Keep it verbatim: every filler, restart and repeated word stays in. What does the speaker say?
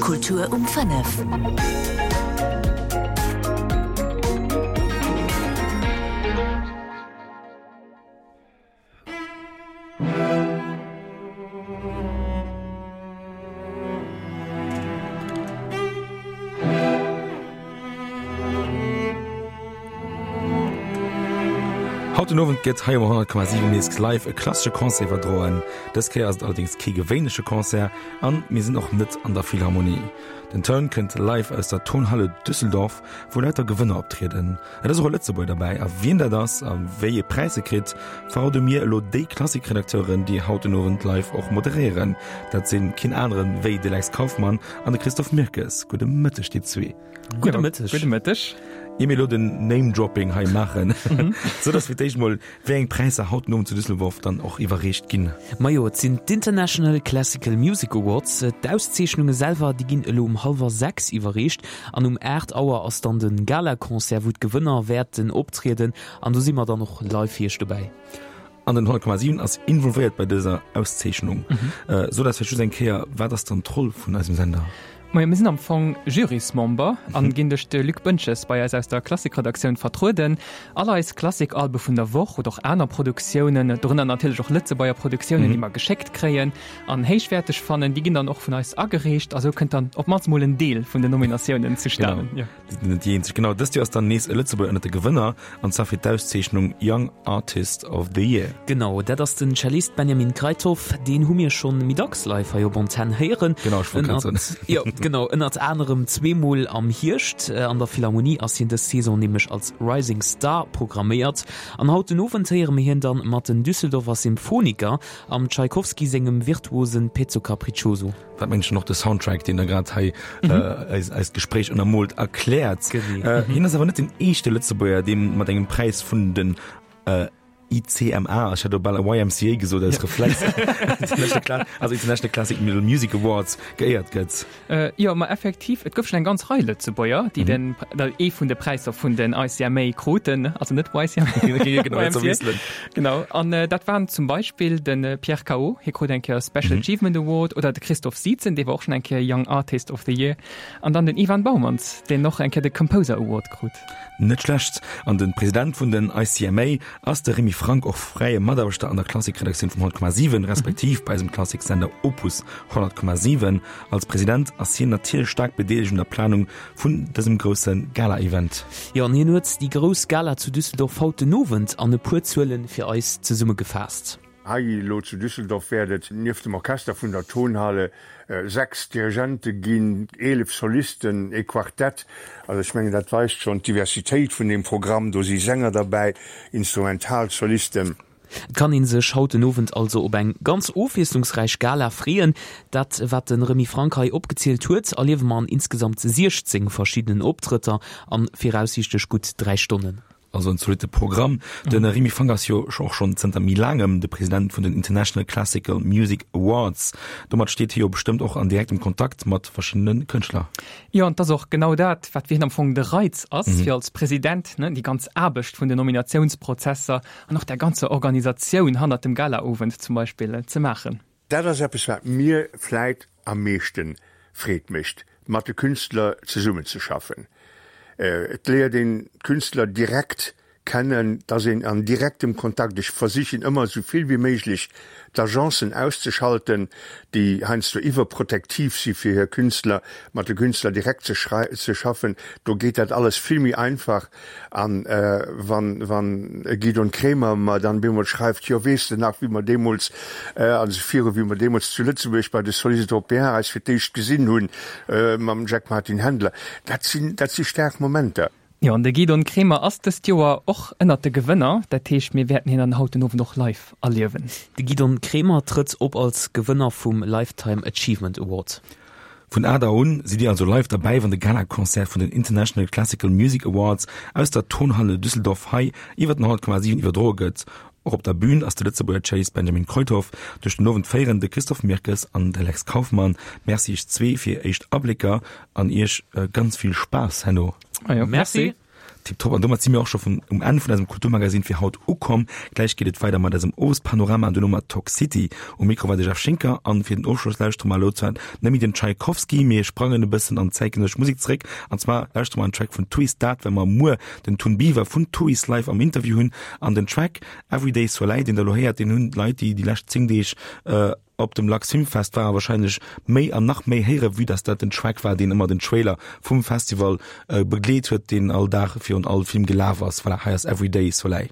Kultur um fënnef. Haut den Owend gëtt hei um honnert Komma siwen nees live e klassesche Concert iwwerdroen. Dës Kéier ass et allerdéngs kee gewéinleche Concert an mir sinn och net an der Philharmonie. Den Toun kënnt live aus der Tonhalle Düsseldorf, wou lauter Gewënner optrieden. Et ass och e Lëtzebuerger derbäi a wien dat ass a wéi ee Präis e kritt, verrode mir elo déi Klassik-Redakteuren, déi haut den Owend live och moderéieren. Dat sinn keen aneren wéi de Lex Kauffmann an de Christophe Mirkes. Gudde Mëtteg dir zwee. Gudde Mëtteg. Gudde Mëtteg. Ier mir elo den Name-Dropping hei maachen, sot eis fir d'éischt mol, wéi eng Präisser haut den Owend zu Düsseldorf dann och iwwerreecht ginn. Majo, et sinn d'International Classical Music Awards. D'Auszeechnunge selwer, déi ginn elo um hallwer sechs iwwerreecht an um aacht Auer ass dann de Galaconcert, wou d'Gewënner wäerten optrieden an do si mer dann och live fir iech dobäi. An den honnert Komma siwen ass involvéiert bei dëser Auszeechnung. Sot eis vläicht just eng Kéier, wat ass dann d'Roll vun eisem Sender? Majo, mir sinn am Fong Jurysmember an ginn duerch de Luc Boentges bei eis aus der Klassikredaktioun vertrueden. All eis Klassikalbe vun der Woch oder och aner Produktiounen, dorënner natierlech och Lëtzebuerger Produktiounen, déi mer geschéckt kréien an héichwäerteg fannen, déi ginn dann och vun eis agereecht a sou kënnt dann op d'mannst mol en Deel vun den Nominatiounen zustanen. Genau, déi sinn net déi eenzeg. Genau, dëst Joer ass dann nees e Lëtzebuerger ënnert de Gewënner, an zwar fir d'Auszeechnung Young Artist of the Year. Genau, dat ass den Cellist Benjamin Kruithof. Deen hu mir schonn méi dacks live hei op Antenn héieren. Genau, ech wollt grad soen. Jo, genau, ënnert anerem zweemol am Hierscht. An der Philharmonie ass hien dës Saison nämlech als Rising Star programméiert. An haut den Owend héiere mir hien dann mat den Düsseldorfer Symphoniker am Tschaikowski sengem virtuosen Pezzo Capriccioso. Wat mengen ech och de Soundtrack, deen der grad hei eis eist Gespréich ënnermoolt, erkläert. Hien ass awer net den éischte Lëtzebuerger, dee mat engem Präis vun den I C M A, ech hat elo bal Y M C A gesot aus Reflex, also International Classic Music Awards, geéiert gëtt. Jo, ma effektiv, et gouf schonn eng ganz Rei Lëtzebuerger, déi den, ee vun de Präisser vun den I C M A kruten, also net Y C M A, Y M C A. Genau, an dat waren zum Beispill de Pierre Cao, hie krut eng Kéier Special Achievement Award, oder de Christoph Sietzen, dee war och schonn eng Kéier Young Artist of the Year, an dann den Ivan Baumanns, deen och eng Kéier de Composer Award krut. Net schlecht. An de President vun den I C M A ass de Remy Franck, och fräie Mataarbechter an der Klassikredaktioun vum honnert Komma siwen, respektiv bei eisem Klassiksender Opus honnert Komma siwen. Als President ass hien natierlech staark bedeelegt un der Planung vun dësem grousse Gala-Event. Jo, an hien huet déi grouss Gala zu Düsseldorf haut den Owend an e puer Zuele fir eis zesummegefaasst. Hei elo zu Düsseldorf wäert et nieft dem Orchester vun der Tonhalle sechs Dirigente ginn, eelef Solisten, ee Quartett. Also ech mengen, dat weist schonn d'Diversitéit vun deem Programm. Do si Sänger derbäi, Instrumentalsolisten. Et kann ee sech haut den Owend also op eng ganz ofwiesslungsräich Gala freeën. Dat, wat de Remy Franck hei opgezielt huet, erliewe mer an insgesamt siechzéng verschiddenen Optrëtter an viraussiichtlech gutt dräi Stonnen. Also en zolitte Programm. De Remy Franck ass jo och schonn zënter méi laangem de President vun den International Classical Music Awards. Domat steet hie jo bestëmmt och an direktem Kontakt mat verschiddene Kënschtler. Jo, an et ass och genau dat, wat fir hien am Fong de Reiz ass, fir als President, ne, déi ganz Aarbecht vun den Nominatiounsprozesser an och der ganzer Organisatioun hannert dem Galaowend zum Beispill ze maachen. Dat ass eppes, wat mir vläit am meeschte Freed mécht, mat de Künstler zesummenzeschaffen. Et léiert een d'Künstler direkt kennen, et ass een an direktem Kontakt. Ech versichen ëmmer esou vill wéi méiglech d'Agencen auszeschalten, déi heiansdo iwwerprotektiv si fir hir Künstler, mat de Künstler direkt ze ze schaffen. Do geet dat alles vill méi einfach. An wann wann e Gidon Kremer mer dann bemol schreift, jo weess de nach wéi mer deemools, also viru wéi mer deemools zu Lëtzebuerg bei de Solistes Européens eis fir d'éischt gesinn hunn mam Jack Martin Händler, dat sinn dat si staark Momenter. Jo, an de Gidon Kremer ass dëst Joer och ënnert de Gewënner. Dat heescht, mir wäerten hien dann haut den Owend och live erliewen. De Gidon Kremer trëtt op als Gewënner vum Lifetime Achievement Award. Vun aacht Auer un sidd Dir also live derbäi, wann de Gala-Concert vun den International Classical Music Awards aus der Tonhalle Düsseldorf hei iwwer den honnert Komma siwen iwwerdroe gëtt. Och op der Bühn ass de Lëtzebuerger Cellist Benjamin Kruithof. Duerch den Owend féieren de Christophe Mirkes an de Lex Kauffmann. Merci iech zwee fir éischt Ablécker an iech ganz vill Spaass herno. Merci. Tiptop. An domat si mir och scho vun um Enn vun eisem Kulturmagazin fir haut ukomm. Gläich geet et weider mat eisem Owespanorama an duerno mat Talk City. Um Mikro war de Jeff Schinker an fir den Ofschloss lauschtere mer elo zwar net méi den Tchaikovsky, mee sprangen e bëssen an zäitgenëssesch Musek zeréck. An zwar lauschtere mer en Track vun Twist, dat well mer muer den Tun Biver vun Twist live am Interview hunn. An den Track Everyday Soleil, deen der elo héiert, deen hunn d'Leit, déi déi lescht zéng Deeg op dem Lux Filmfest waren, wahrscheinlech méi an nach méi héieren, vue dass dat den Track war, deen ëmmer den Trailer vum Festival begleet huet, deen all Dag virun all Film gelaf ass. Voilà, hei ass Everyday Soleil.